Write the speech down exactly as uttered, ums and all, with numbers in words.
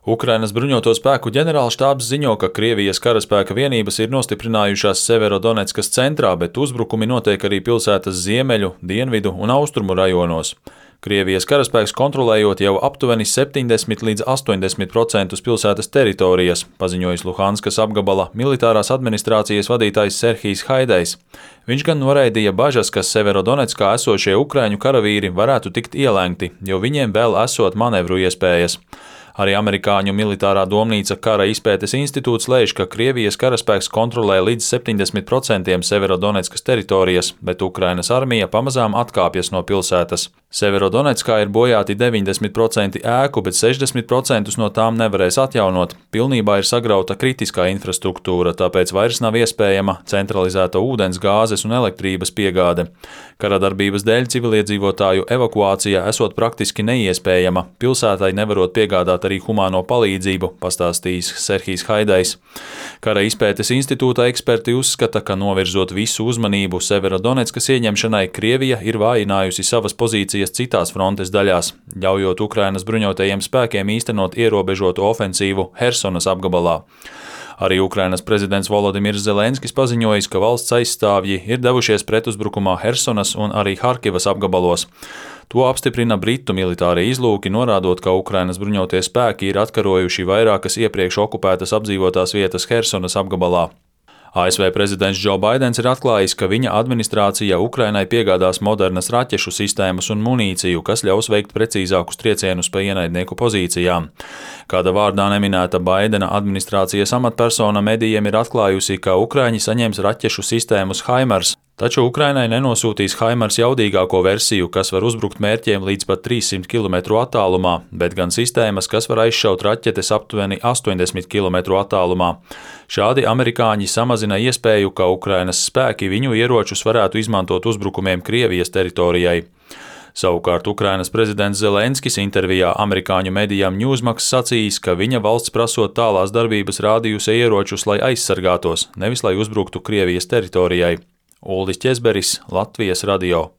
Ukrainas bruņoto spēku ģenerālštābs ziņo, ka Krievijas karaspēka vienības ir nostiprinājušās Severodoneckas centrā, bet uzbrukumi notiek arī pilsētas ziemeļu, dienvidu un austrumu rajonos. Krievijas karaspēks kontrolējot jau aptuveni septiņdesmit līdz astoņdesmit procentus pilsētas teritorijas, paziņojis Luhanskas apgabala militārās administrācijas vadītājs Serhijs Haidejs. Viņš gan noraidīja bažas, ka Severodonetskā esošie ukraiņu karavīri varētu tikt ielēgti, jo viņiem vēl esot manevru iespējas. Arī amerikāņu militārā domnīca Kara izpētes institūts lēš, ka Krievijas karaspēks kontrolē līdz septiņdesmit procentiem Severodoneckas teritorijas, bet Ukrainas armija pamazām atkāpjas no pilsētas. Severodonetskā ir bojāti deviņdesmit procenti ēku, bet sešdesmit procentus no tām nevarēs atjaunot. Pilnībā ir sagrauta kritiskā infrastruktūra, tāpēc vairs nav iespējama centralizēta ūdens, gāzes un elektrības piegāde. Kara darbības dēļ civiliedzīvotāju evakuācija esot praktiski neiespējama, pilsētai nevarot piegādāt arī humāno palīdzību, pastāstījis Serhijs Haidejs. Kara izpētes institūta eksperti uzskata, ka novirzot visu uzmanību Severodoneckas ieņemšanai, Krievija ir vājinājusi savas pozīcijas citās frontes daļās, ļaujot Ukrainas bruņotajiem spēkiem īstenot ierobežotu ofensīvu Hersonas apgabalā. Arī Ukrainas prezidents Volodimirs Zelenskis paziņojis, ka valsts aizstāvji ir devušies pretuzbrukumā Hersonas un arī Harkivas apgabalos. To apstiprina Britu militārie izlūki, norādot, ka Ukrainas bruņotie spēki ir atkarojuši vairākas iepriekš okupētas apdzīvotās vietas Hersonas apgabalā. A S V prezidents Džo Baidens ir atklājis, ka viņa administrācija Ukrainai piegādās modernas raķešu sistēmas un munīciju, kas ļaus veikt precīzākus triecienus pa ienaidnieku pozīcijām. Kāda vārdā neminēta Baidena administrācijas amatpersona medijiem ir atklājusi, ka Ukraiņi saņems raķešu sistēmas HIMARS, taču Ukrainai nenosūtīs HIMARS jaudīgāko versiju, kas var uzbrukt mērķiem līdz pat trīssimt kilometru attālumā, bet gan sistēmas, kas var aizšaut raķetes aptuveni astoņdesmit kilometru attālumā. Šādi amerikāņi samazina iespēju, ka Ukrainas spēki viņu ieročus varētu izmantot uzbrukumiem Krievijas teritorijai. Savukārt Ukrainas prezidents Zelenskis intervijā amerikāņu medijām Newsmax sacījis, ka viņa valsts prasot tālās darbības rādījusi ieročus, lai aizsargātos, nevis lai uzbruktu Krievijas teritorijai. Uldis Ķezberis, Latvijas radio.